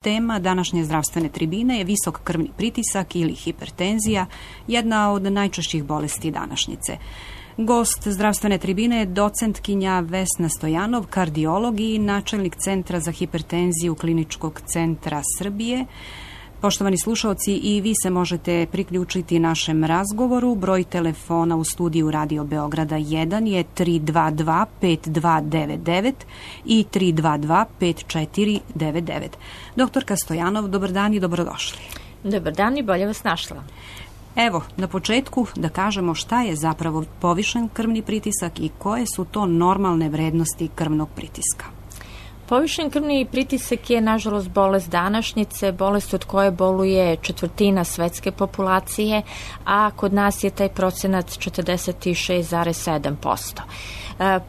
Tema današnje zdravstvene tribine je visok krvni pritisak ili hipertenzija, jedna od najčešćih bolesti današnjice. Gost zdravstvene tribine je docentkinja Vesna Stojanov, kardiolog i načelnik Centra za hipertenziju Kliničkog centra Srbije. Poštovani slušaoci, i vi se možete priključiti našem razgovoru. Broj telefona u studiju Radio Beograda 1 je 322 5299 i 322 5499. Doktorka Stojanov, dobar dan i dobrodošli. Dobar dan i bolje vas našla. Evo, na početku da kažemo šta je zapravo povišen krvni pritisak i koje su to normalne vrednosti krvnog pritiska. Povišen krvni pritisak je, nažalost, bolest današnjice, bolest od koje boluje četvrtina svetske populacije, a kod nas je taj procenat 46,7%.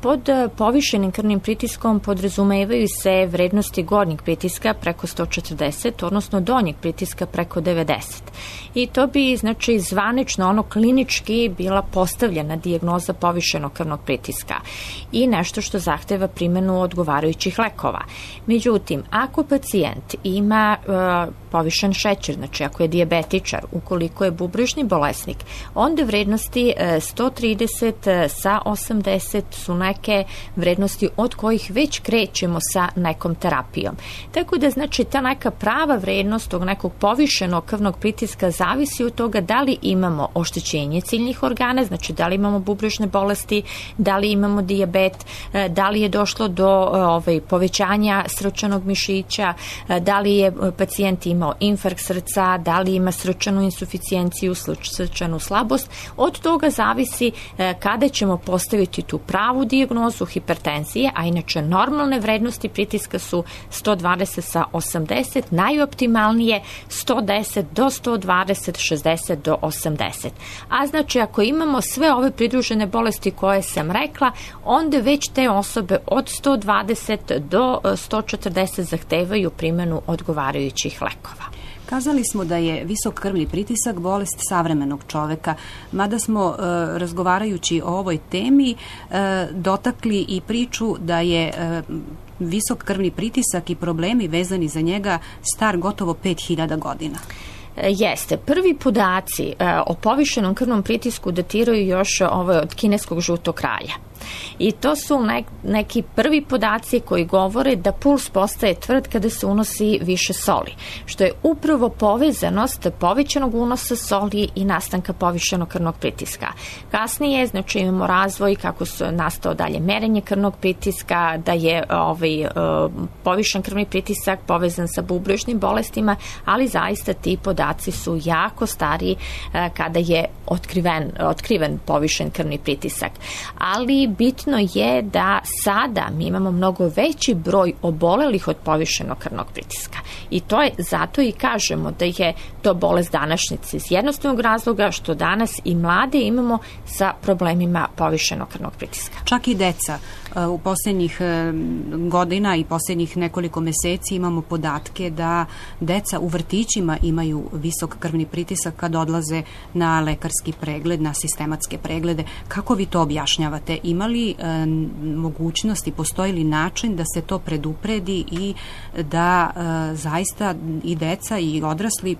Pod povišenim krvnim pritiskom podrazumevaju se vrednosti gornjeg pritiska preko 140, odnosno donjeg pritiska preko 90. I to bi, znači, zvanično, klinički bila postavljena dijagnoza povišenog krvnog pritiska i nešto što zahteva primjenu odgovarajućih lekova. Međutim, ako pacijent ima povišen šećer, znači ako je dijabetičar, ukoliko je bubrežni bolesnik, onda vrednosti 130 sa 80 su neke vrednosti od kojih već krećemo sa nekom terapijom. Tako da, znači, ta neka prava vrednost tog nekog povišenog krvnog pritiska zavisi od toga da li imamo oštećenje ciljnih organa, znači da li imamo bubrežne bolesti, da li imamo dijabet, da li je došlo do povećanja srčanog mišića, da li je pacijent imao infarkt srca, da li ima srčanu insuficijenciju, srčanu slabost. Od toga zavisi kada ćemo postaviti tu pravu dijagnozu hipertenzije, a inače normalne vrednosti pritiska su 120 sa 80, najoptimalnije 110 do 120, 60 do 80. A znači, ako imamo sve ove pridružene bolesti koje sam rekla, onda već te osobe od 120 do 140 zahtevaju primjenu odgovarajućih lekova. Kazali smo da je visok krvni pritisak bolest savremenog čoveka, mada smo razgovarajući o ovoj temi dotakli i priču da je visok krvni pritisak i problemi vezani za njega star gotovo 5000 godina. Jeste. Prvi podaci o povišenom krvnom pritisku datiraju još od kineskog žutog kralja. I to su neki prvi podaci koji govore da puls postaje tvrd kada se unosi više soli, što je upravo povezanost povećanog unosa soli i nastanka povišenog krvnog pritiska. Kasnije, znači, imamo razvoj kako su nastao dalje merenje krvnog pritiska, da je povišen krvni pritisak povezan sa bubrežnim bolestima, ali zaista ti podaci su jako stari kada je otkriven povišen krvni pritisak. Ali bitno je da sada mi imamo mnogo veći broj obolelih od povišenog krvnog pritiska. I to je, zato i kažemo da je to bolest današnjice iz jednostavnog razloga što danas i mlade imamo sa problemima povišenog krvnog pritiska. Čak i deca. U posljednjih godina i posljednjih nekoliko meseci imamo podatke da deca u vrtićima imaju visok krvni pritisak kad odlaze na lekarski pregled, na sistematske preglede. Kako vi to objašnjavate? Ima li mogućnosti, postoji li način da se to predupredi i da zaista i deca i odrasli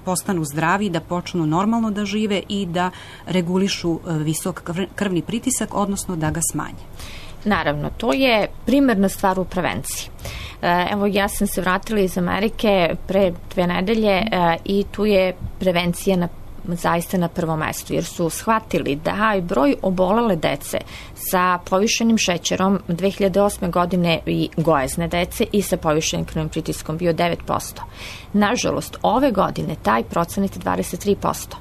postanu zdravi, da počnu normalno da žive i da regulišu visok krvni pritisak, odnosno da ga smanje? Naravno, to je primarna stvar u prevenciji. Evo, ja sam se vratila iz Amerike pre 2 nedelje i tu je prevencija zaista na prvom mestu, jer su shvatili da je broj obolele dece sa povišenim šećerom 2008. godine i gojazne dece i sa povišenim krvnim pritiskom bio 9%. Nažalost, ove godine taj procenat je 23%.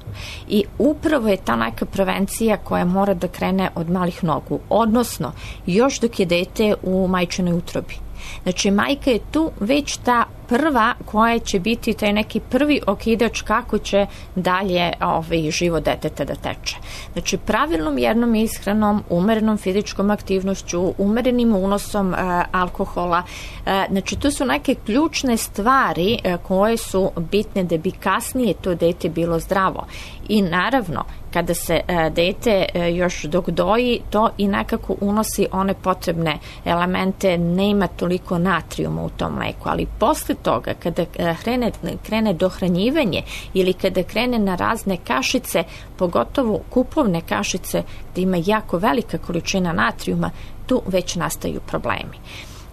I upravo je ta neka prevencija koja mora da krene od malih nogu, odnosno još dok je dete u majčinoj utrobi. Znači, majka je tu već ta prva koja će biti taj neki prvi okidač kako će dalje život deteta da teče. Znači, pravilnom jednom ishranom, umerenom fizičkom aktivnošću, umerenim unosom alkohola, znači to su neke ključne stvari koje su bitne da bi kasnije to dete bilo zdravo. I naravno, kada se dete još dok doji, to i nekako unosi one potrebne elemente, nema toliko natrijuma u tom mleku, ali posle toga, kada krene dohranjivanje ili kada krene na razne kašice, pogotovo kupovne kašice gdje ima jako velika količina natrijuma, tu već nastaju problemi.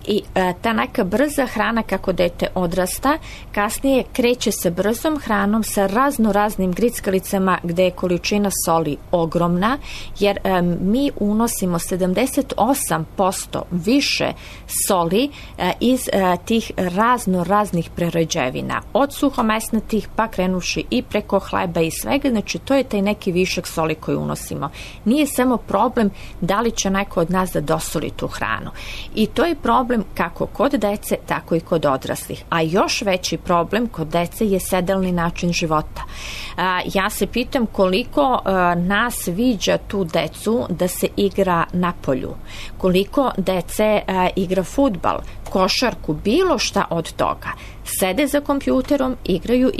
I ta neka brza hrana kako dete odrasta, kasnije kreće se brzom hranom sa raznim grickalicama gdje je količina soli ogromna, jer mi unosimo 78% više soli iz tih raznih prerađevina, od suhomesnatih pa krenuši i preko hleba i svega, znači to je taj neki višak soli koji unosimo. Nije samo problem da li će neko od nas da dosoli tu hranu. I to je problem kako kod dece, tako i kod odraslih. A još veći problem kod dece je sedalni način života. Ja se pitam koliko nas viđa tu decu da se igra na polju, koliko dece igra fudbal, košarku, bilo šta od toga. Sede za kompjuterom, igraju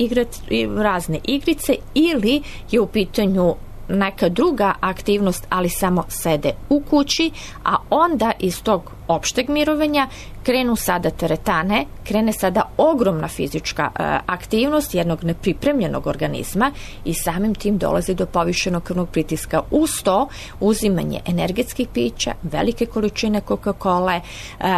razne igrice ili je u pitanju neka druga aktivnost, ali samo sede u kući, a onda iz tog opšteg mirovanja krenu sada teretane, krene sada ogromna fizička aktivnost jednog nepripremljenog organizma i samim tim dolazi do povišenog krvnog pritiska. Uz to uzimanje energetskih pića, velike količine Coca-Cola,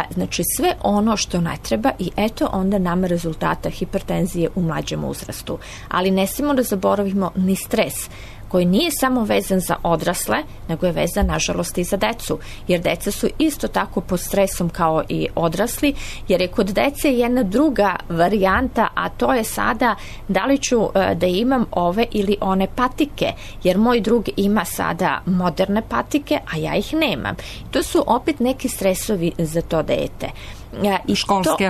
znači sve ono što ne treba i eto onda nama rezultata hipertenzije u mlađem uzrastu. Ali ne smijemo da zaboravimo ni stres, koji nije samo vezan za odrasle, nego je vezan, nažalost, i za decu. Jer deca su isto tako pod stresom kao i odrasli, jer je kod dece jedna druga varijanta, a to je sada da li ću da imam ove ili one patike, jer moj drug ima sada moderne patike, a ja ih nemam. To su opet neki stresovi za to dete. I školske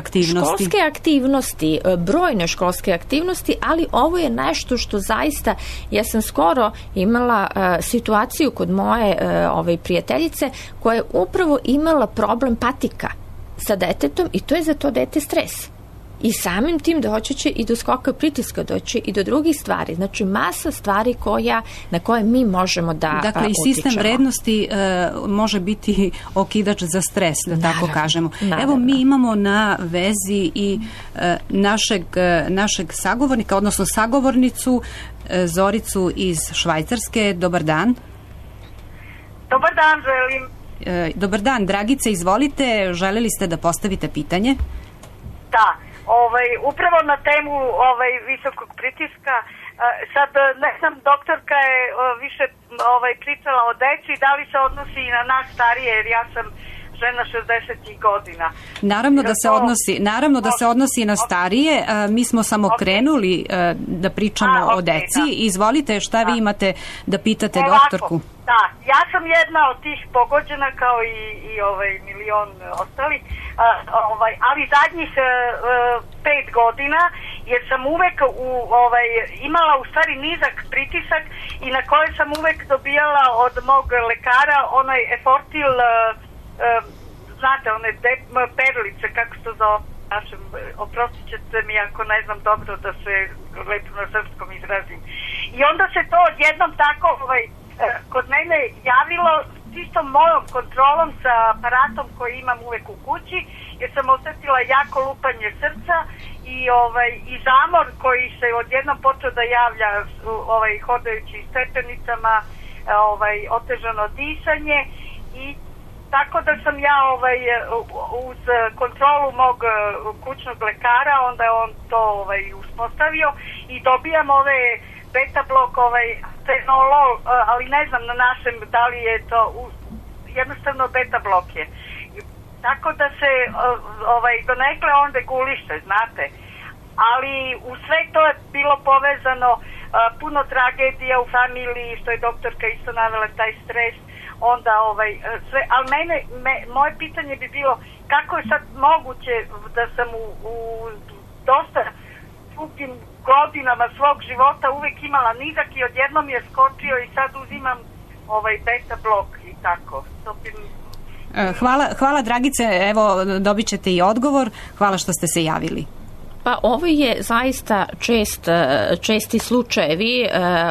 aktivnosti, brojne školske aktivnosti, ali ovo je nešto što zaista, ja sam skoro imala situaciju kod moje prijateljice koja je upravo imala problem patika sa detetom i to je za to dete stres. I samim tim doći će i do skoka pritiska, doći i do drugih stvari. Znači masa stvari na koje mi možemo da utičemo. Dakle, i sistem vrednosti može biti okidač za stres, da tako kažemo. Evo, mi imamo na vezi i našeg sagovornika, odnosno sagovornicu Zoricu iz Švajcarske. Dobar dan. Dobar dan, želim. Dobar dan, Dragice, izvolite. Želeli ste da postavite pitanje? Da. Upravo na temu visokog pritiska, sad ne znam, doktorka je više pričala o deci, da li se odnosi i na nas starije, jer ja sam žena 60 godina. Naravno da se odnosi na starije. Mi smo samo krenuli da pričamo o deci. Izvolite, šta vi imate da pitate doktorku? Da, ja sam jedna od tih pogođena kao i milion ostalih, ali zadnjih 5 godina, jer sam uvek imala u stvari nizak pritisak i na koje sam uvek dobijala od mog lekara onaj Efortil, znate, one perlice, kako se to zove našem, oprostit ćete mi ako ne znam dobro da se lepo na srpskom izrazim. I onda se to odjednom tako kod mene javilo čisto mojom kontrolom sa aparatom koji imam uvek u kući, jer sam osetila jako lupanje srca i zamor koji se odjednom počeo da javlja hodajući stepenicama, otežano disanje i tako da sam ja uz kontrolu mog kućnog lekara, onda je on to uspostavio i dobijam ove beta blok, fenolol, ali ne znam na našem da li je to jednostavno beta blok je. Tako da se donekle on reguliše, znate. Ali u sve to je bilo povezano puno tragedija u familiji, što je doktorka isto navela, taj stres, onda sve, ali moje pitanje bi bilo kako je sad moguće da sam u dosta dugim godinama svog života uvek imala nizak i odjednom je skočio i sad uzimam beta blok i tako. Hvala Dragice, evo dobit ćete i odgovor. Hvala što ste se javili. Pa ovo je zaista česti slučajevi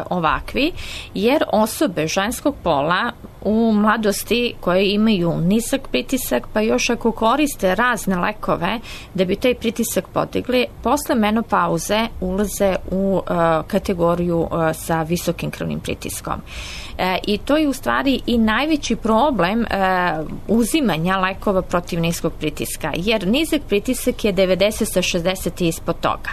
ovakvi, jer osobe ženskog pola u mladosti koje imaju nizak pritisak, pa još ako koriste razne lekove da bi taj pritisak podigli, posle menopauze ulaze u kategoriju sa visokim krvnim pritiskom. I to je u stvari i najveći problem uzimanja lekova protiv niskog pritiska, jer nizak pritisak je 90 sa 60 i ispod toga.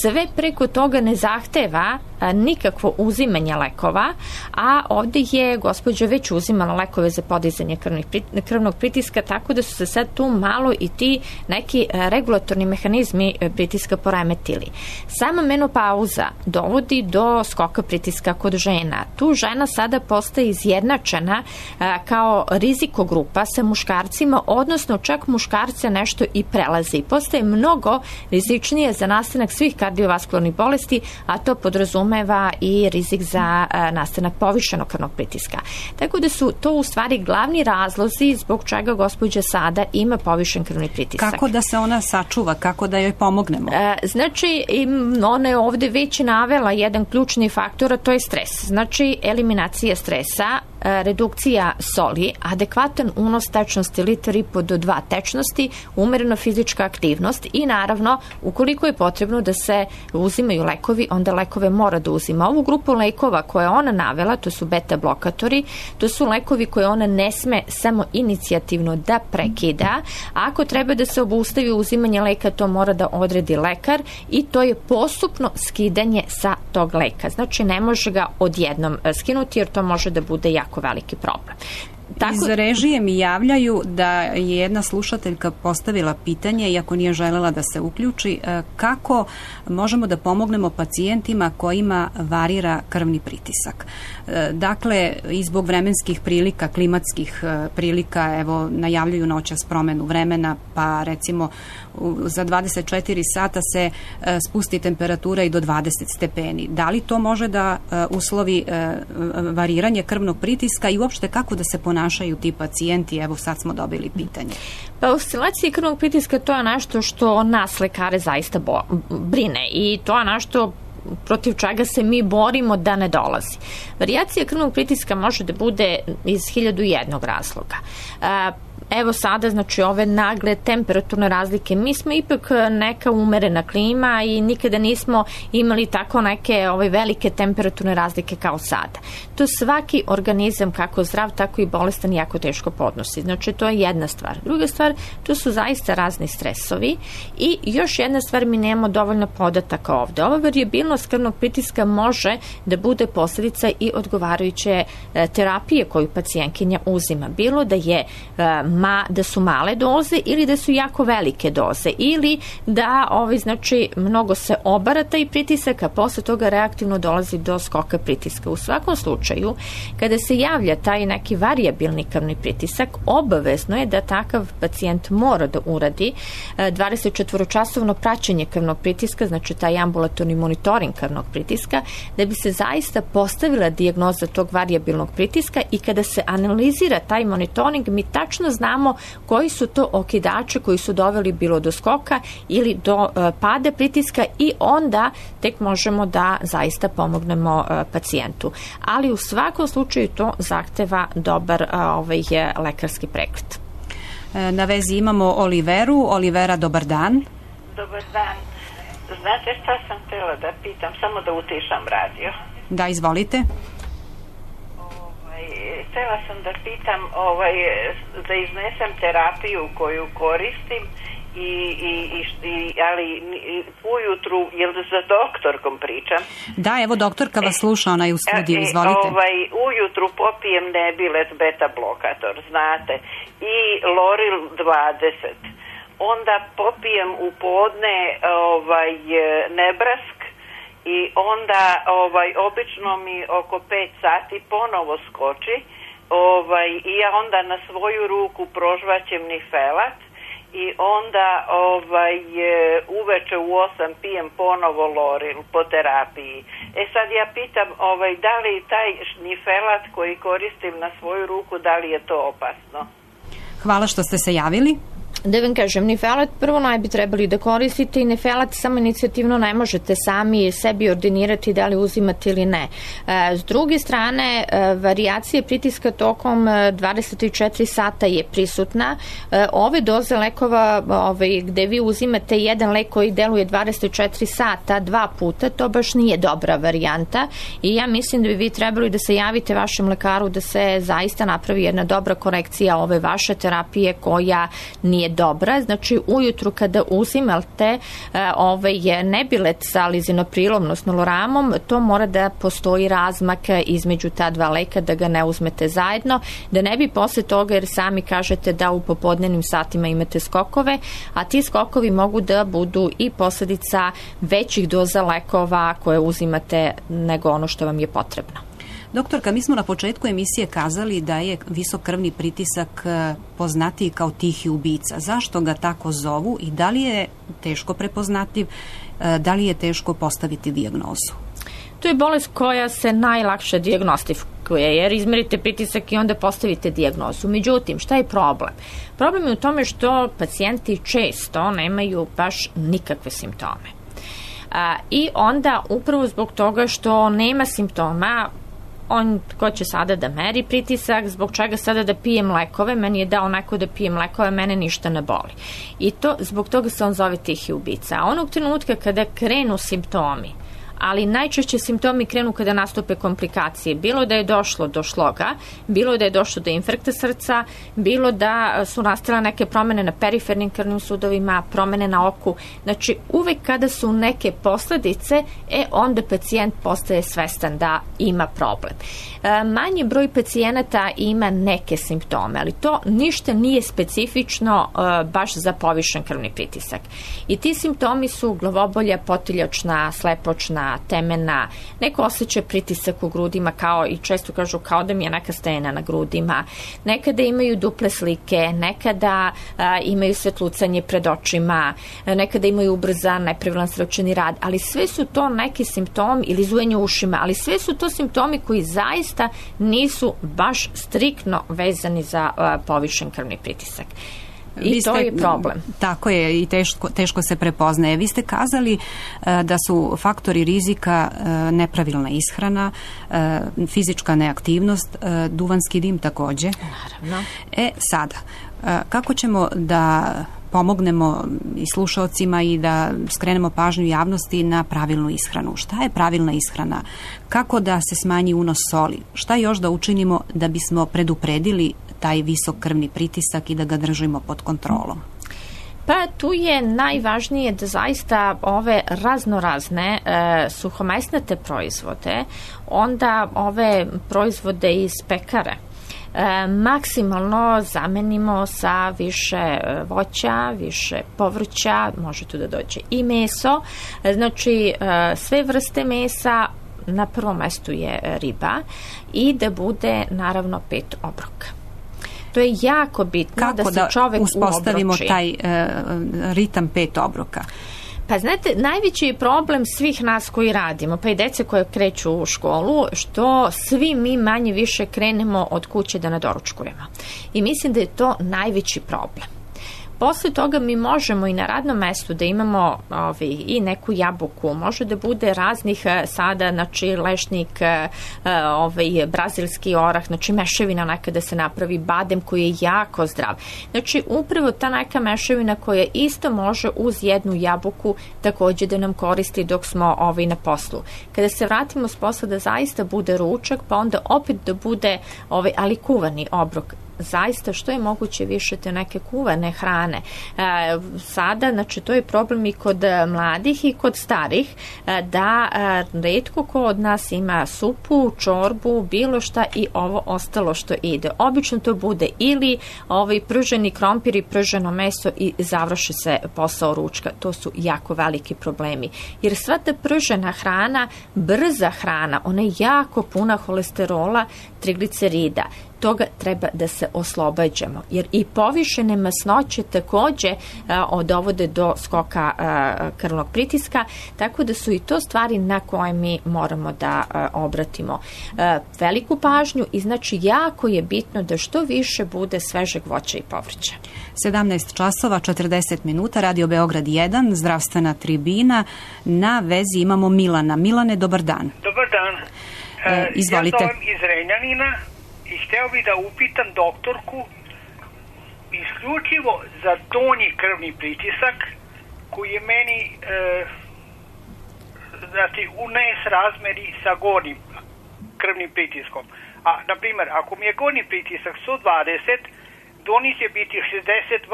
Sve preko toga ne zahteva nikakvo uzimanje lekova, a ovde je gospođa već uzimala lekove za podizanje krvnog pritiska, tako da su se sad tu malo i ti neki regulatorni mehanizmi pritiska poremetili. Sama menopauza dovodi do skoka pritiska kod žena. Tu žena sada postaje izjednačena kao rizikogrupa sa muškarcima, odnosno čak muškarce nešto i prelazi. Postaje mnogo rizičnije za nastanak svih kardiovaskularnih bolesti, a to podrazumeva i rizik za nastanak povišenog krvnog pritiska. Tako da su to u stvari glavni razlozi zbog čega gospođa sada ima povišen krvni pritisak. Kako da se ona sačuva, kako da joj pomognemo? Znači, ona je ovde već navela jedan ključni faktor, a to je stres. Znači, eliminacija stresa, redukcija soli, adekvatan unos tečnosti 1,5 do 2 tečnosti, umerena fizička aktivnost i naravno, ukoliko je potrebno da se uzimaju lekovi, onda lekove mora da uzima. Ovu grupu lekova koje ona navela, to su beta blokatori, to su lekovi koje ona ne sme samo inicijativno da prekida. Ako treba da se obustavi uzimanje leka, to mora da odredi lekar i to je postupno skidanje sa tog leka. Znači, ne može ga odjednom skinuti jer to može da bude jako veliki problem. Iz režije mi javljaju da je jedna slušateljka postavila pitanje, iako nije želela da se uključi, kako možemo da pomognemo pacijentima kojima varira krvni pritisak. Dakle, i zbog vremenskih prilika, klimatskih prilika, evo, najavljuju noćas promenu vremena, pa recimo za 24 sata se spusti temperatura i do 20 stepeni. Da li to može da uslovi variranje krvnog pritiska i uopšte kako da se ponašaju ti pacijenti? Evo, sad smo dobili pitanje. Pa oscilacije krvnog pritiska to je nešto što nas lekare zaista brine i to je nešto protiv čega se mi borimo da ne dolazi. Varijacija krvnog pritiska može da bude iz 1001 razloga. Evo sada, znači, ove nagle temperaturne razlike. Mi smo ipak neka umerena klima i nikada nismo imali tako neke velike temperaturne razlike kao sada. To svaki organizam, kako zdrav, tako i bolestan, jako teško podnosi. Znači, to je jedna stvar. Druga stvar, to su zaista razni stresovi i još jedna stvar, mi nemamo dovoljno podataka ovde. Ova varijabilnost krvnog pritiska može da bude posljedica i odgovarajuće terapije koju pacijentkinja uzima. Bilo da je da su male doze ili da su jako velike doze ili da znači mnogo se obara taj pritisak, a posle toga reaktivno dolazi do skoka pritiska. U svakom slučaju, kada se javlja taj neki varijabilni krvni pritisak, obavezno je da takav pacijent mora da uradi 24-časovno praćenje krvnog pritiska, znači taj ambulatorni monitoring krvnog pritiska, da bi se zaista postavila dijagnoza tog varijabilnog pritiska i kada se analizira taj monitoring, mi tačno znamo koji su to okidači koji su doveli bilo do skoka ili do pada pritiska i onda tek možemo da zaista pomognemo pacijentu. Ali u svakom slučaju to zahteva dobar lekarski pregled. Na vezi imamo Oliveru. Olivera, dobar dan. Dobar dan. Znate šta sam htjela da pitam, samo da utišam radio. Da, izvolite. Htjela sam da pitam, da iznesem terapiju koju koristim, ali ujutru, jel za doktorkom pričam? Da, evo doktorka vas sluša, ona je u studiju, izvolite. Ujutru popijem Nebilet beta blokator, znate, i Loril 20. Onda popijem u podne Nebrask i onda obično mi oko 5 sati ponovo skoči i ja onda na svoju ruku prožvaćem Nifelat i onda uveče u 8 pijem ponovo Loril po terapiji. Sad ja pitam da li taj Nifelat koji koristim na svoju ruku, da li je to opasno? Hvala što ste se javili. Da vam kažem, Nifelat prvo ne bi trebali da koristite i Nifelat samo inicijativno ne možete sami sebi ordinirati da li uzimate ili ne. S druge strane, varijacija pritiska tokom 24 sata je prisutna. Ove doze lekova gde vi uzimate jedan lek koji deluje 24 sata 2 puta, to baš nije dobra varijanta i ja mislim da bi vi trebali da se javite vašem lekaru da se zaista napravi jedna dobra korekcija ove vaše terapije koja nije dobra. Znači ujutru kada uzimate nebilet sa lizinoprilom, odnosno loramom, to mora da postoji razmak između ta dva leka, da ga ne uzmete zajedno, da ne bi posle toga, jer sami kažete da u popodnevnim satima imate skokove, a ti skokovi mogu da budu i posledica većih doza lekova koje uzimate nego ono što vam je potrebno. Doktorka, mi smo na početku emisije kazali da je visok krvni pritisak poznatiji kao tihi ubica. Zašto ga tako zovu i da li je teško prepoznatljiv, da li je teško postaviti dijagnozu? To je bolest koja se najlakše dijagnostifikuje, jer izmerite pritisak i onda postavite dijagnozu. Međutim, šta je problem? Problem je u tome što pacijenti često nemaju baš nikakve simptome. I onda upravo zbog toga što nema simptoma, on ko će sada da meri pritisak, zbog čega sada da pijem lekove, meni je dao neko da pijem lekove, mene ništa ne boli. I to, zbog toga se on zove tihi ubica. A onog trenutka kada krenu simptomi, ali najčešće simptomi krenu kada nastupe komplikacije. Bilo da je došlo do šloga, bilo da je došlo do infarkta srca, bilo da su nastale neke promene na perifernim krvnim sudovima, promene na oku. Znači, uvek kada su neke posledice, onda pacijent postaje svestan da ima problem. Manji broj pacijenata ima neke simptome, ali to ništa nije specifično baš za povišen krvni pritisak. I ti simptomi su glavobolja, potiljačna, slepočna, temena, neko osjeća pritisak u grudima, kao i često kažu kao da mi je neka stena na grudima, nekada imaju duple slike, nekada imaju svetlucanje pred očima, nekada imaju ubrzan, nepravilan srčani rad, ali sve su to neki simptomi, ili zujanje u ušima, ali sve su to simptomi koji zaista nisu baš striktno vezani za povišen krvni pritisak. I to je problem. Tako je, i teško se prepoznaje. Vi ste kazali da su faktori rizika nepravilna ishrana, fizička neaktivnost, duvanski dim takođe. Naravno. Sada, kako ćemo da pomognemo i slušaocima i da skrenemo pažnju javnosti na pravilnu ishranu? Šta je pravilna ishrana? Kako da se smanji unos soli? Šta još da učinimo da bismo predupredili taj visok krvni pritisak i da ga držimo pod kontrolom? Pa tu je najvažnije da zaista ove raznorazne suhomesnate proizvode, onda ove proizvode iz pekare, maksimalno zamenimo sa više voća, više povrća, može tu da dođe i meso, znači sve vrste mesa, na prvom mestu je riba i da bude naravno 5 obroka. To je jako bitno da se čovek uobroči. Kako da uspostavimo taj ritam 5 obroka? Pa znate, najveći je problem svih nas koji radimo, pa i dece koje kreću u školu, što svi mi manje više krenemo od kuće da nadoručkujemo. I mislim da je to najveći problem. Posle toga mi možemo i na radnom mestu da imamo i neku jabuku, može da bude raznih sada, znači lešnik, brazilski orah, znači mešavina nekada se napravi, badem koji je jako zdrav. Znači upravo ta neka mešavina koja isto može uz jednu jabuku takođe da nam koristi dok smo na poslu. Kada se vratimo s posla da zaista bude ručak, pa onda opet da bude ali kuvani obrok. Zaista što je moguće više te neke kuvane hrane. Sada, znači to je problem i kod mladih i kod starih, da retko ko od nas ima supu, čorbu, bilo šta i ovo ostalo što ide. Obično to bude ili prženi krompir i prženo meso i završi se posao ručka. To su jako veliki problemi. Jer sva ta pržena hrana, brza hrana, ona je jako puna holesterola, triglicerida. Toga treba da se oslobađamo. Jer i povišene masnoće takođe dovode do skoka krvnog pritiska, tako da su i to stvari na koje mi moramo da obratimo veliku pažnju i znači jako je bitno da što više bude svežeg voća i povrća. 17 časova, 40 minuta, Radio Beograd 1, zdravstvena tribina. Na vezi imamo Milana. Milane, dobar dan. Dobar dan. Izvolite. Ja zovem iz Renjanina i hteo bih da upitam doktorku isključivo za donji krvni pritisak koji je meni znači u nesrazmeri sa gornjim krvnim pritiskom. A, na primjer, ako mi je gornji pritisak 120, donji će biti 62,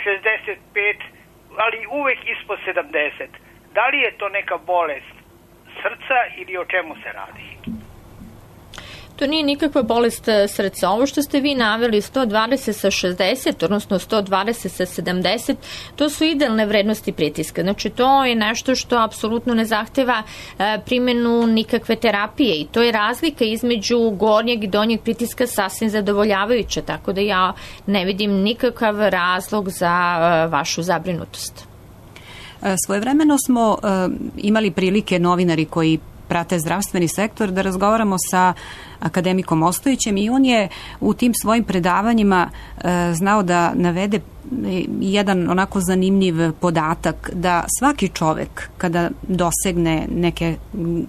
65, ali uvek ispod 70. Da li je to neka bolest srca ili o čemu se radi? To nije nikakva bolest srca. Ovo što ste vi naveli 120 sa 60, odnosno 120 sa 70, to su idealne vrednosti pritiska. Znači to je nešto što apsolutno ne zahteva primjenu nikakve terapije i to je razlika između gornjeg i donjeg pritiska sasvim zadovoljavajuća, tako da ja ne vidim nikakav razlog za vašu zabrinutost. Svojevremeno smo imali prilike, novinari koji prate zdravstveni sektor, da razgovaramo sa akademikom Ostojićem i on je u tim svojim predavanjima znao da navede jedan onako zanimljiv podatak da svaki čovek kada dosegne neke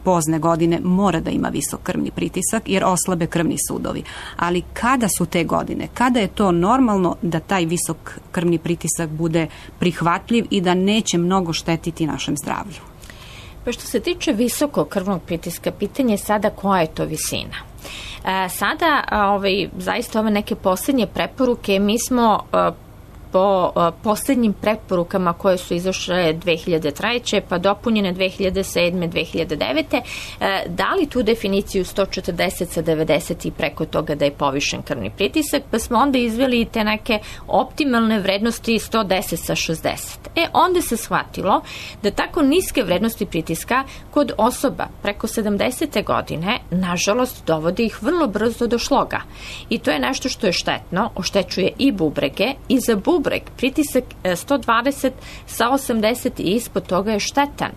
pozne godine mora da ima visok krvni pritisak jer oslabe krvni sudovi. Ali kada su te godine? Kada je to normalno da taj visok krvni pritisak bude prihvatljiv i da neće mnogo štetiti našem zdravlju? Pa što se tiče visokog krvnog pritiska, pitanje je sada koja je to visina. Sada, zaista ove neke posljednje preporuke, mi smo po posljednjim preporukama koje su izašle 2003. pa dopunjene 2007. 2009. dali tu definiciju 140 sa 90 i preko toga da je povišen krvni pritisak, pa smo onda izveli te neke optimalne vrednosti 110 sa 60. Onda se shvatilo da tako niske vrednosti pritiska kod osoba preko 70. godine, nažalost, dovode ih vrlo brzo do šloga. I to je nešto što je štetno, oštećuje i bubrege i za bubreg pritisak 120 sa 80 i ispod toga je štetan.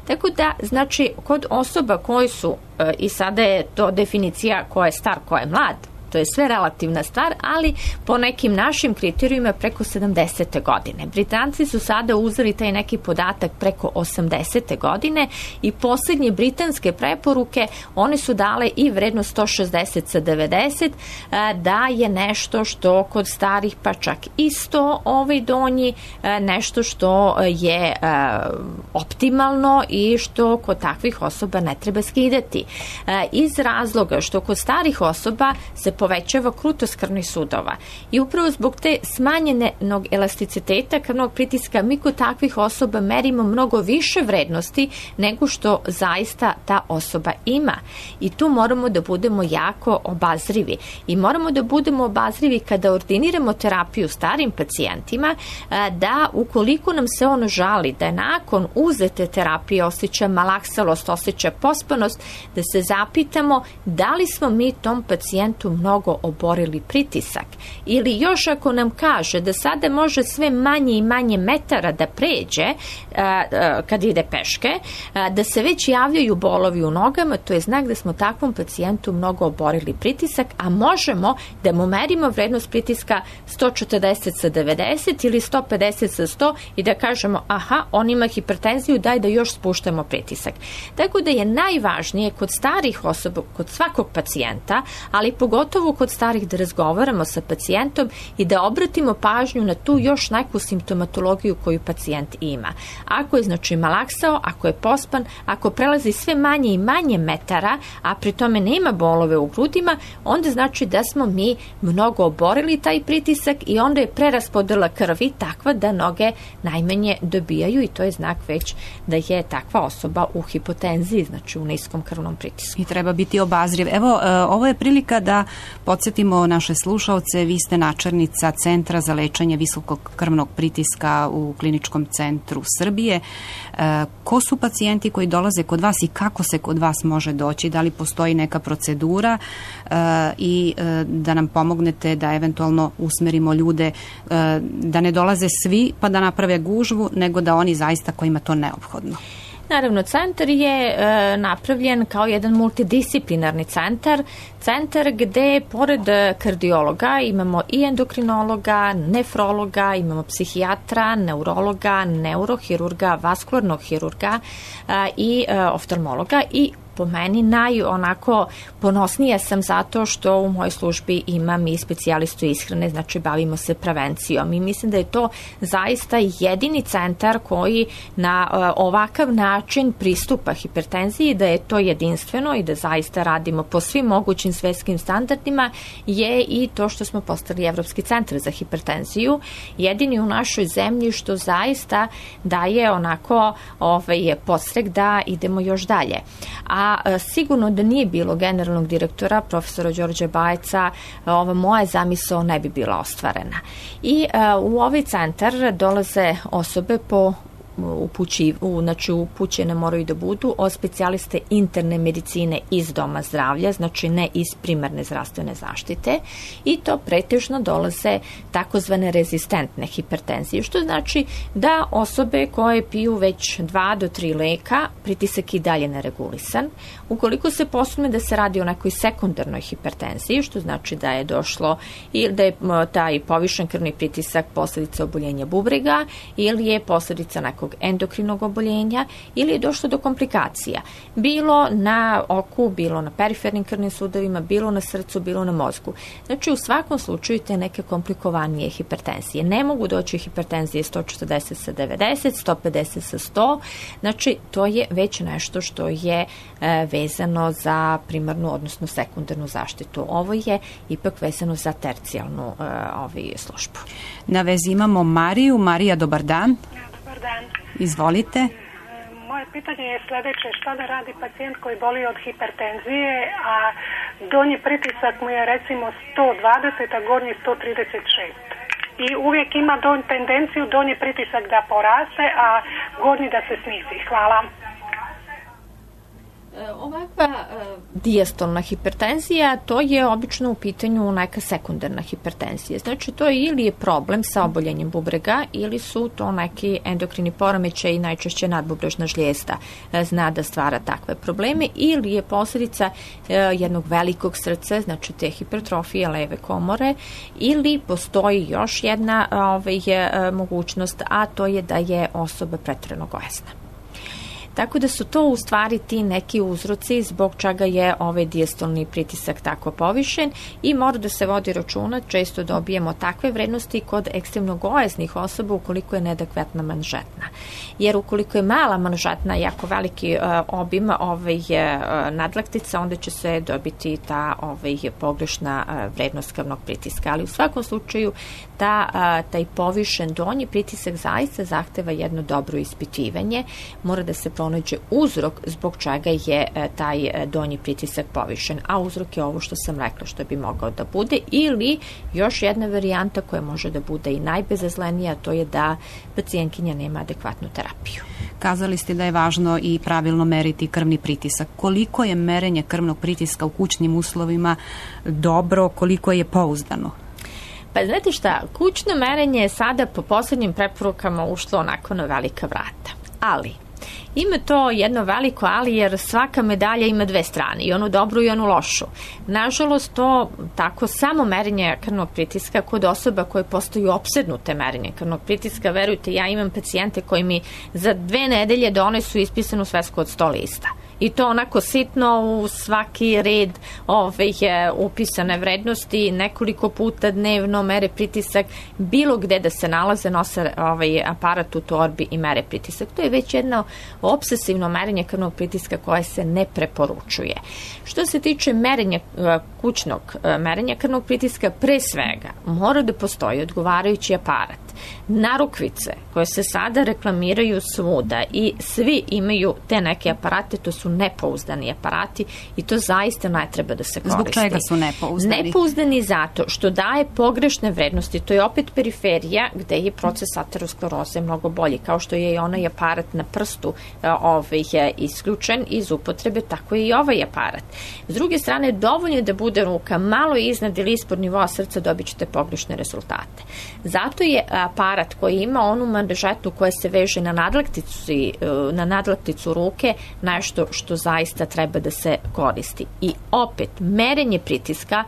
Tako da, znači, kod osoba koji su, i sada je to definicija ko je star, ko je mlad, to je sve relativna stvar, ali po nekim našim kriterijima preko 70. godine. Britanci su sada uzeli taj neki podatak preko 80. godine i posljednje britanske preporuke, one su dale i vrednost 160 sa 90, da je nešto što kod starih, pa čak i 100 donji, nešto što je optimalno i što kod takvih osoba ne treba skidati. Iz razloga što kod starih osoba se povećava krutost krvnih sudova i upravo zbog te smanjenog elasticiteta krvnog pritiska mi kod takvih osoba merimo mnogo više vrednosti nego što zaista ta osoba ima. I tu moramo da budemo jako obazrivi. I moramo da budemo obazrivi kada ordiniramo terapiju starim pacijentima, da ukoliko nam se ono žali, da nakon uzete terapije osjeća malaksalost, osjeća pospanost, da se zapitamo da li smo mi tom pacijentu mnogo oborili pritisak. Ili još ako nam kaže da sada može sve manje i manje metara da pređe kad ide peške, da se već javljaju bolovi u nogama, to je znak da smo takvom pacijentu mnogo oborili pritisak, a možemo da mu merimo vrednost pritiska 140 sa 90 ili 150 sa 100 i da kažemo aha, on ima hipertenziju, daj da još spuštamo pritisak. Tako da je najvažnije kod starih osoba, kod svakog pacijenta, ali pogotovo kod starih da razgovaramo sa pacijentom i da obratimo pažnju na tu još neku simptomatologiju koju pacijent ima. Ako je znači malaksao, ako je pospan, ako prelazi sve manje i manje metara, a pri tome nema bolove u grudima, onda znači da smo mi mnogo oborili taj pritisak i onda je preraspodela krvi takva da noge najmanje dobijaju i to je znak već da je takva osoba u hipotenziji, znači u niskom krvnom pritisku. I treba biti obazriv. Evo, ovo je prilika da Podsjetimo naše slušaoce, vi ste načelnica Centra za lečenje visokog krvnog pritiska u Kliničkom centru Srbije. Ko su pacijenti koji dolaze kod vas i kako se kod vas može doći? Da li postoji neka procedura i da nam pomognete da eventualno usmerimo ljude da ne dolaze svi pa da naprave gužvu, nego da oni zaista kojima to neophodno? Naravno, centar je napravljen kao jedan multidisciplinarni centar gde pored kardiologa imamo i endokrinologa, nefrologa, imamo psihijatra, neurologa, neurohirurga, vaskularnog hirurga i oftalmologa i po meni onako ponosnija sam zato što u mojoj službi imam i specijalistu ishrane, znači bavimo se prevencijom i mislim da je to zaista jedini centar koji na ovakav način pristupa hipertenziji, da je to jedinstveno i da zaista radimo po svim mogućim svetskim standardima je i to što smo postali Evropski centar za hipertenziju, jedini u našoj zemlji što zaista daje onako podstrek da idemo još dalje. A sigurno da nije bilo generalnog direktora, profesora Đorđe Bajca, ova moja zamisao ne bi bila ostvarena. I u ovaj centar dolaze osobe znači upućene moraju da budu od specijaliste interne medicine iz doma zdravlja, znači ne iz primarne zdravstvene zaštite i to pretežno dolaze takozvane rezistentne hipertenzije, što znači da osobe koje piju već 2 do 3 leka, pritisak i dalje neregulisan. Ukoliko se posumnje da se radi o nekoj sekundarnoj hipertenziji, što znači da je došlo ili da je taj povišen krvni pritisak posljedica oboljenja bubrega ili je posljedica nekog endokrinog oboljenja ili je došlo do komplikacija. Bilo na oku, bilo na perifernim krvnim sudovima, bilo na srcu, bilo na mozgu. Znači u svakom slučaju te neke komplikovanije hipertenzije. Ne mogu doći hipertenzije 140 sa 90, 150 sa 100. Znači to je već nešto što je vezano za primarnu, odnosno sekundarnu zaštitu. Ovo je ipak vezano za tercijalnu službu. Na vezi imamo Mariju. Marija, dobar dan. Dobar dan. Izvolite. Moje pitanje je sljedeće. Šta da radi pacijent koji boli od hipertenzije, a donji pritisak mu je recimo 120, a gornji 136. I uvijek ima tendenciju donji pritisak da poraste, a gornji da se snizi. Hvala. Ovakva dijastolna hipertenzija, to je obično u pitanju neka sekundarna hipertenzija. Znači to ili je problem sa oboljenjem bubrega ili su to neki endokrini poremećaji, najčešće nadbubrežna žlijezda zna da stvara takve probleme, ili je posljedica jednog velikog srca, znači te hipertrofije leve komore, ili postoji još jedna mogućnost, a to je da je osoba pretjerano gojazna. Tako da su to u stvari ti neki uzroci zbog čega je ovaj dijastolni pritisak tako povišen i mora da se vodi računa, često dobijemo takve vrednosti kod ekstremno gojaznih osoba ukoliko je neadekvatna manžetna. Jer ukoliko je mala manžetna, jako veliki obim nadlaktica, onda će se dobiti ta pogrešna vrednost krvnog pritiska. Ali u svakom slučaju taj povišen donji pritisak zaista zahteva jedno dobro ispitivanje, mora da se pronađe uzrok zbog čega je taj donji pritisak povišen, a uzrok je ovo što sam rekla što bi mogao da bude, ili još jedna varijanta koja može da bude i najbezazlenija, to je da pacijentkinja nema adekvatnu terapiju. Kazali ste da je važno i pravilno meriti krvni pritisak. Koliko je merenje krvnog pritiska u kućnim uslovima dobro, koliko je pouzdano? Pa znate šta, kućno merenje je sada po posljednjim preporukama ušlo onako na velika vrata, ali ima to jedno veliko ali, jer svaka medalja ima dve strane, i onu dobru i onu lošu. Nažalost, to tako samo merenje krvnog pritiska kod osoba koje postaju opsednute merenje krvnog pritiska, verujte, ja imam pacijente koji mi za 2 nedelje donesu ispisanu svesku od 100 lista. I to onako sitno u svaki red upisane vrednosti, nekoliko puta dnevno mere pritisak, bilo gde da se nalaze, nose aparat u torbi i mere pritisak. To je već jedno obsesivno merenje krvnog pritiska koje se ne preporučuje. Što se tiče merenja kućnog merenja krvnog pritiska, pre svega mora da postoji odgovarajući aparat Narukvice koje se sada reklamiraju svuda i svi imaju te neke aparate, to su nepouzdani aparati i to zaista ne treba da se koristi. Zbog čega su nepouzdani? Nepouzdani zato što daje pogrešne vrednosti. To je opet periferija gde je proces ateroskleroze mnogo bolji. Kao što je i onaj aparat na prstu je isključen iz upotrebe, tako je i ovaj aparat. S druge strane, dovoljno je da bude ruka malo iznad ili ispod nivoa srca, dobit ćete pogrešne rezultate. Zato je aparat koji ima onu manžetu koja se veže na nadlakticu ruke nešto što zaista treba da se koristi. I opet, merenje pritiska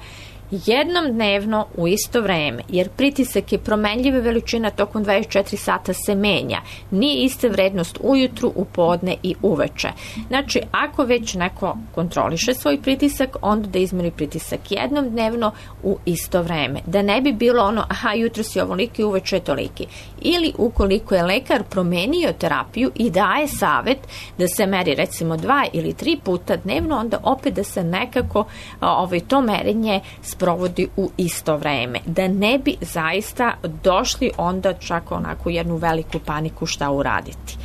jednom dnevno u isto vreme, jer pritisak je promenljiva veličina, tokom 24 sata se menja. Nije ista vrednost ujutru, u podne i uveče. Znači, ako već neko kontroliše svoj pritisak, onda da izmeri pritisak jednom dnevno u isto vreme. Da ne bi bilo ono, jutro si ovoliki, uveče je toliki. Ili ukoliko je lekar promenio terapiju i daje savet da se meri recimo 2 ili 3 puta dnevno, onda opet da se nekako to merenje sprovodi u isto vreme. Da ne bi zaista došli onda čak onako jednu veliku paniku šta uraditi.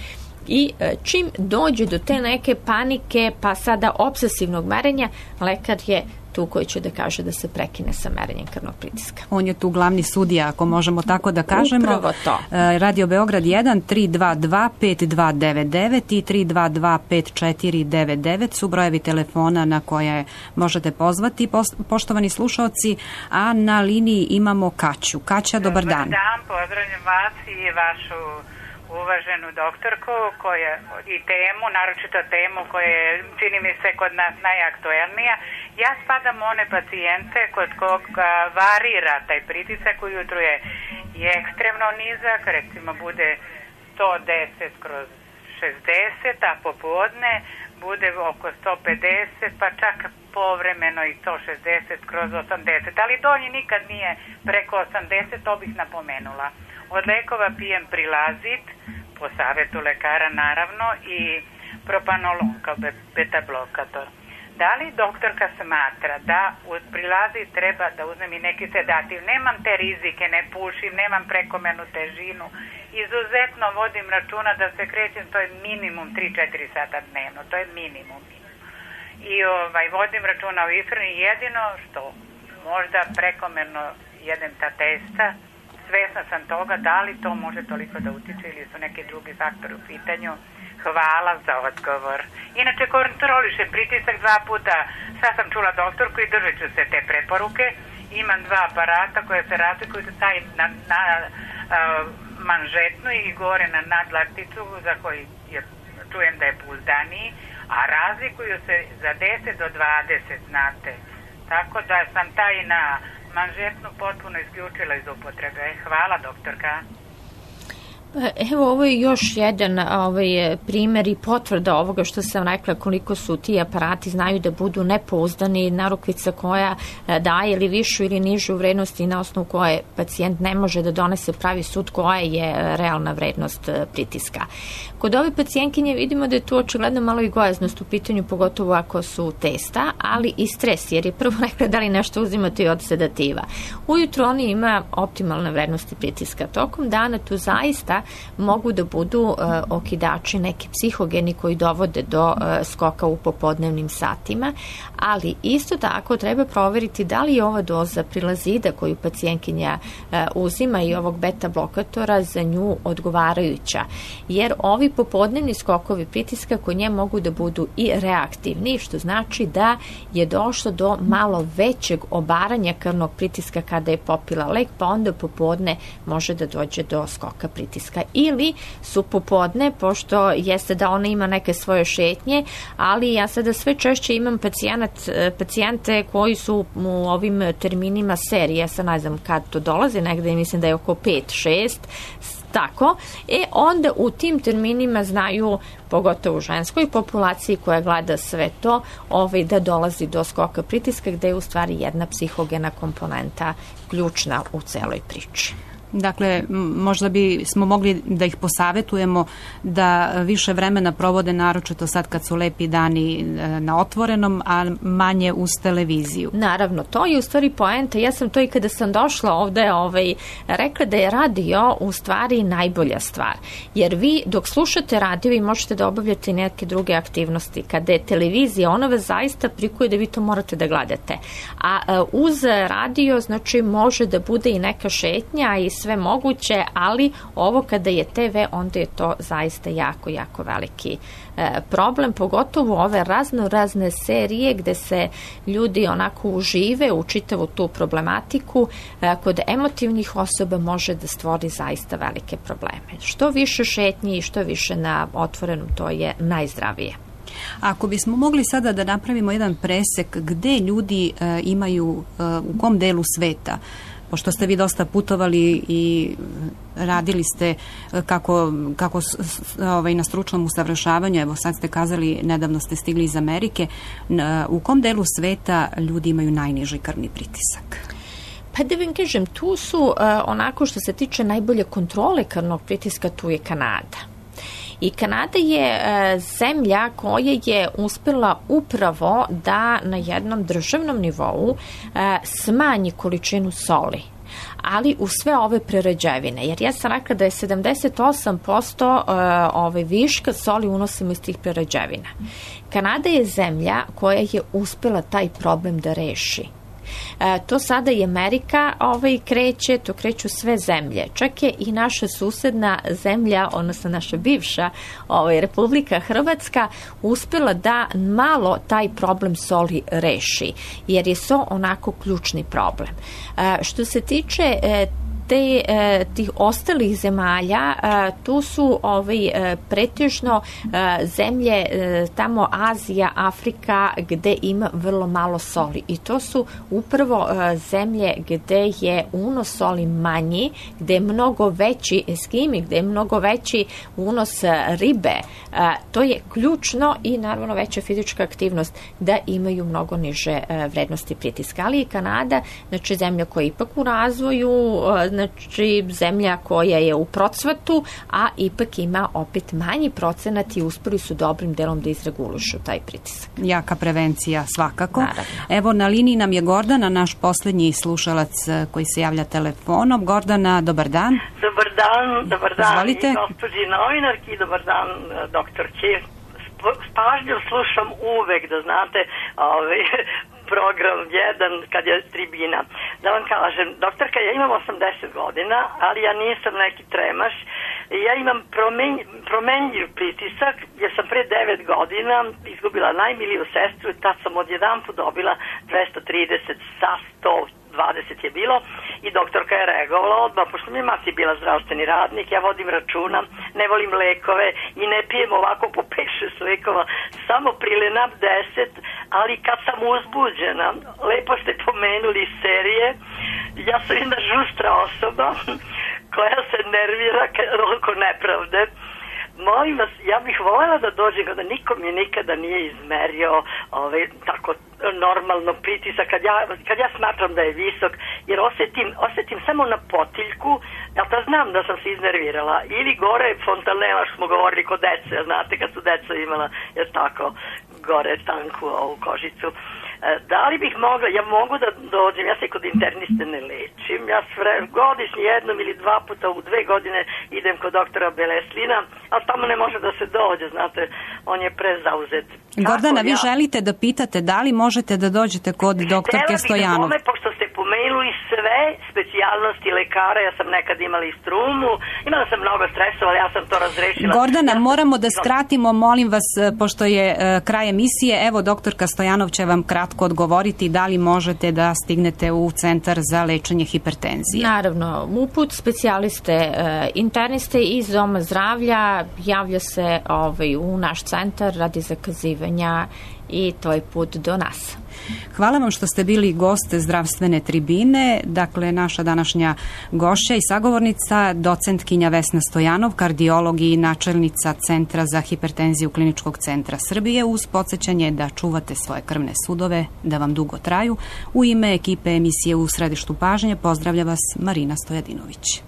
I čim dođe do te neke panike, pa sada obsesivnog merenja, lekar je tu koji će da kaže da se prekine sa merenjem krvnog pritiska. On je tu glavni sudija, ako možemo tako da kažemo. Upravo to. Radio Beograd 1 322 5299 i 322 5499 su brojevi telefona na koje možete pozvati, poštovani slušaoci, a na liniji imamo Kaću. Kaća, dobar dan. Dobar dan, pozdravljam vas i vašu uvaženu doktorku i temu, naročito temu koja je, čini mi se, kod nas najaktuelnija. Ja spadam u one pacijente kod koga varira taj pritisak, ujutru je ekstremno nizak, recimo bude 110/60, a popodne bude oko 150, pa čak povremeno i 160/80, ali donji nikad nije preko 80, to bih napomenula. Od lekova pijem Prilazit, po savjetu lekara naravno, i propanolon kao beta blokator. Da li doktorka smatra da uz Prilazit treba da uzmem i neki sedativ? Nemam te rizike, ne pušim, nemam prekomernu težinu. Izuzetno vodim računa da se krećem, to je minimum 3-4 sata dnevno, to je minimum. I vodim računa o ishrani, jedino što možda prekomerno jedem ta testa. Svesna sam toga, da li to može toliko da utiče ili su neki drugi faktori u pitanju. Hvala za odgovor. Inače, kontrolišem pritisak 2 puta. Sad sam čula doktorku i držat ću se te preporuke. Imam 2 aparata koje se razlikuju, taj na manžetnu i gore na nadlakticu, za koji čujem da je pouzdaniji, a razlikuju se za 10 do 20, znate. Tako da sam taj na manžetnu potpuno isključila iz upotrebe. Hvala, doktorka. Evo, ovo je još jedan primjer i potvrda ovoga što sam rekla, koliko su ti aparati znaju da budu nepouzdani, narukvica koja daje ili višu ili nižu vrednost i na osnovu koje pacijent ne može da donese pravi sud koja je realna vrednost pritiska. Kod ove pacijentkinje vidimo da je tu očigledno malo i gojaznost u pitanju, pogotovo ako su testa, ali i stres, jer je prvo rekla da li nešto uzimate od sedativa. Ujutro oni ima optimalne vrednosti pritiska. Tokom dana tu zaista mogu da budu okidači, neki psihogeni koji dovode do skoka u popodnevnim satima, ali isto tako treba proveriti da li je ova doza Prilazida koju pacijentkinja uzima i ovog beta blokatora za nju odgovarajuća, jer ovi popodnevni skokovi pritiska kod nje mogu da budu i reaktivni, što znači da je došlo do malo većeg obaranja krvnog pritiska kada je popila lek, pa onda popodne može da dođe do skoka pritiska. Ili su popodne, pošto jeste da ona ima neke svoje šetnje, ali ja sada sve češće imam pacijente koji su u ovim terminima serije, ja sad ne znam kad to dolazi, negde mislim da je oko 5-6, tako, onda u tim terminima znaju, pogotovo u ženskoj populaciji koja gleda sve to, da dolazi do skoka pritiska, gde je u stvari jedna psihogena komponenta ključna u celoj priči. Dakle, možda bi smo mogli da ih posavetujemo da više vremena provode, naročito sad kad su lepi dani na otvorenom, a manje uz televiziju. Naravno, to je u stvari poenta. Ja sam to i kada sam došla ovde rekla da je radio u stvari najbolja stvar. Jer vi dok slušate radio vi možete da obavljate neke druge aktivnosti. Kada je televizija, ona vas zaista prikuje da vi to morate da gledate. A uz radio, znači, može da bude i neka šetnja i sve moguće, ali ovo kada je TV, onda je to zaista jako, jako veliki problem, pogotovo ove razne serije gde se ljudi onako užive u čitavu tu problematiku, kod emotivnih osoba može da stvori zaista velike probleme. Što više šetnji i što više na otvorenom, to je najzdravije. Ako bismo mogli sada da napravimo jedan presek gde ljudi imaju, u kom delu sveta, pošto ste vi dosta putovali i radili ste kako na stručnom usavršavanju, evo sad ste kazali, nedavno ste stigli iz Amerike, u kom delu sveta ljudi imaju najniži krvni pritisak? Pa da vam kažem, tu su onako što se tiče najbolje kontrole krvnog pritiska, tu je Kanada. I Kanada je zemlja koja je uspela upravo da na jednom državnom nivou smanji količinu soli, ali u sve ove prerađevine. Jer ja sam rekla da je 78% viška soli unosimo iz tih prerađevina. Kanada je zemlja koja je uspela taj problem da reši. To sada i Amerika kreće, to kreću sve zemlje. Čak je i naša susedna zemlja, odnosno naša bivša Republika Hrvatska, uspjela da malo taj problem soli reši, jer je so onako ključni problem. Što se tiče tih ostalih zemalja, tu su pretežno zemlje tamo Azija, Afrika, gde ima vrlo malo soli. I to su upravo zemlje gde je unos soli manji, gde je mnogo veći eskimi, gde je mnogo veći unos ribe. To je ključno i naravno veća fizička aktivnost da imaju mnogo niže vrednosti pritiska. Ali i Kanada, znači zemlja koja je ipak u razvoju, znači zemlja koja je u procvatu, a ipak ima opet manji procenat i uspeli su dobrim delom da izregulišu taj pritisak. Jaka prevencija svakako. Naravno. Evo, na liniji nam je Gordana, naš poslednji slušalac koji se javlja telefonom. Gordana, dobar dan. Dobar dan. Izvolite. I gospođi novinarki, dobar dan doktorki. Pažljivo slušam uvek, da znate, program 1 kad je tribina. Da vam kažem, doktorka, ja imam 80 godina, ali ja nisam neki tremaš. Ja imam promenljiv pritisak, jer sam pre 9 godina izgubila najmiliju sestru i tad sam odjedanput dobila 230 sa 120 je bilo i doktorka je reagovala odmah, pošto mi je mati bila zdravstveni radnik, ja vodim računa, ne volim lekove i ne pijem ovako po 5-6 lekova, samo Prilenap 10, ali kad sam uzbuđena, lepo ste pomenuli serije, ja sam jedna žustra osoba koja se nervira oko nepravde. Molim vas, ja bih voljela da dođem kada niko mi nikada nije izmerio tako normalno pritisak, kad ja smatram da je visok, jer osjetim samo na potiljku, ja to znam da sam se iznervirala, ili gore fontanela što smo govorili kod dece, znate kad su deca imala, jer tako, gore tanku ovu kožicu. Da li bih mogla, ja mogu da dođem, ja se kod interniste ne lečim, ja godišnje 1 ili 2 puta u 2 godine idem kod doktora Beleslina, ali tamo ne može da se dođe, znate, on je prezauzet. Gordana, vi želite da pitate da li možete da dođete kod doktorke Stojanov? Htjela bih pošto ste pomenuli sve specijalnosti lekara, ja sam nekad imala i strumu, imala sam mnogo stresova, ali ja sam to razrešila. Gordana, moramo da skratimo, molim vas, pošto je kraj emisije, evo doktorka Stojanov će vam kratko odgovoriti da li možete da stignete u centar za lečenje hipertenzije. Naravno, uput specijaliste, interniste iz doma zdravlja javlja se u naš centar radi zakazivanja i to je put do nas. Hvala vam što ste bili gost zdravstvene tribine. Dakle, naša današnja gošća i sagovornica, docentkinja Vesna Stojanov, kardiolog i načelnica Centra za hipertenziju Kliničkog centra Srbije, uz podsjećanje da čuvate svoje krvne sudove, da vam dugo traju. U ime ekipe emisije U središtu pažnje pozdravlja vas Marina Stojadinović.